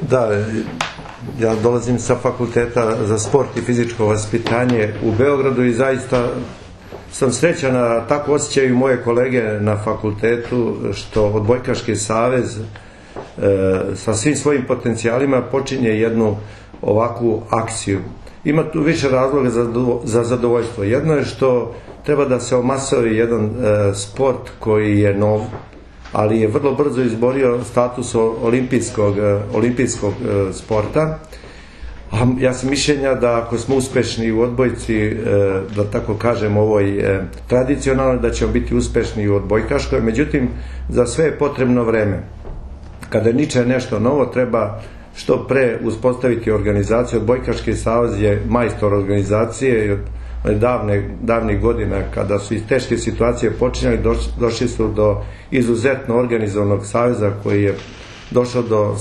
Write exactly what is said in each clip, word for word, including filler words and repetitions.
Da, ja dolazim sa Fakulteta za sport i fizičko vaspitanje u Beogradu i zaista sam srećan, a tako osjećaju moje kolege na fakultetu, što Odbojkaški savez sa svim svojim potencijalima počinje jednu ovakvu akciju. Ima tu više razloga za zadovoljstvo. Jedno je što treba da se omasori jedan sport koji je nov, ali je vrlo brzo izborio status olimpijskog, olimpijskog sporta. Ja sam mišljenja da ako smo uspešni u odbojci, da tako kažem, ovoj tradicionalnoj, da ćemo biti uspešni u odbojkaškoj, međutim, za sve je potrebno vreme. Kada niče nešto novo, treba što pre uspostaviti organizaciju. Odbojkaški savez je majstor organizacije i davnih godina, kada su iz teške situacije počinjali, došli su do izuzetno organizovanog saveza koji je došao do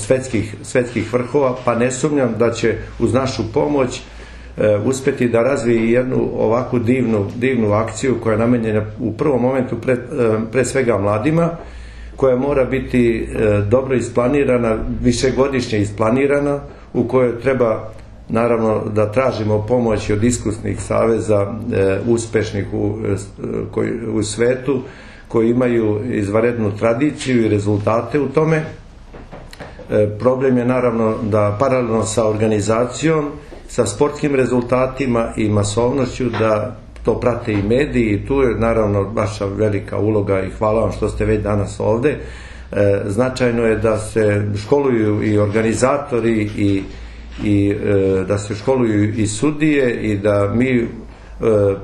svetskih vrhova, pa ne sumnjam da će uz našu pomoć uspeti da razvije jednu ovakvu divnu akciju koja je namenjena u prvom momentu pre svega mladima, koja mora biti dobro isplanirana, višegodišnje isplanirana, u kojoj treba naravno da tražimo pomoć od iskusnih saveza uspešnih u svetu, koji imaju izvanrednu tradiciju i rezultate u tome. Problem je naravno da paralelno sa organizacijom, sa sportskim rezultatima i masovnošću, da to prate i mediji, i tu je naravno vaša velika uloga i hvala vam što ste već danas ovde. Značajno je da se školuju i organizatori i da se školuju i sudije i da mi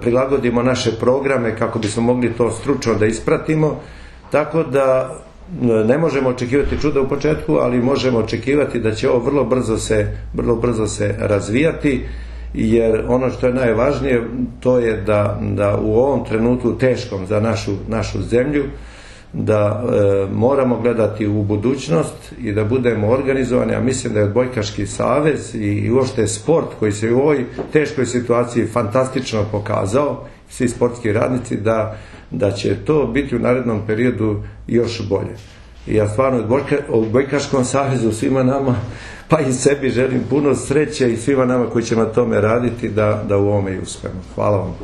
prilagodimo naše programe kako bismo mogli to stručno da ispratimo, tako da ne možemo očekivati čuda u početku, ali možemo očekivati da će ovo vrlo brzo se vrlo brzo se razvijati, jer ono što je najvažnije to je da u ovom trenutku teškom za našu zemlju, da moramo gledati u budućnost i da budemo organizovani, a mislim da je Odbojkaški savez i uopšte sport koji se u ovoj teškoj situaciji fantastično pokazao, svi sportski radnici, da će to biti u narednom periodu još bolje. I ja stvarno Odbojkaškom savezu, svima nama, pa i sebi želim puno sreće i svima nama koji ćemo na tome raditi da u ovome i uspemo. Hvala vam.